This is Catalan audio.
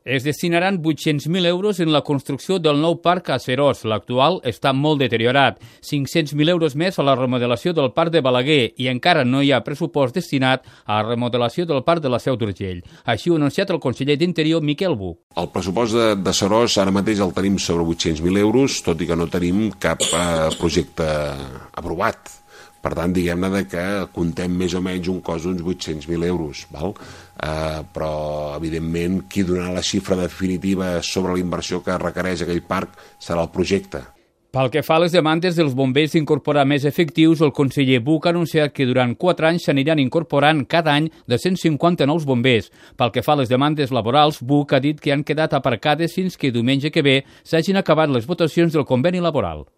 Es destinaran 800.000 euros en la construcció del nou parc a Seròs. L'actual està molt deteriorat. 500.000 euros més a la remodelació del parc de Balaguer i encara no hi ha pressupost destinat a la remodelació del parc de la Seu d'Urgell. Així ho ha anunciat el conseller d'Interior, Miquel Buch. El pressupost de Seròs ara mateix el tenim sobre 800.000 euros, tot i que no tenim cap projecte aprovat. Per tant, diguem-ne que contem més o menys un cost d'uns 800.000 euros, val? Però, evidentment, qui donarà la xifra definitiva sobre la inversió que requereix aquell parc serà el projecte. Pel que fa a les demandes dels bombers d'incorporar més efectius, el conseller Buch ha anunciat que durant 4 anys s'aniran incorporant cada any de 150 nous bombers. Pel que fa a les demandes laborals, Buch ha dit que han quedat aparcades fins que diumenge que ve s'hagin acabat les votacions del conveni laboral.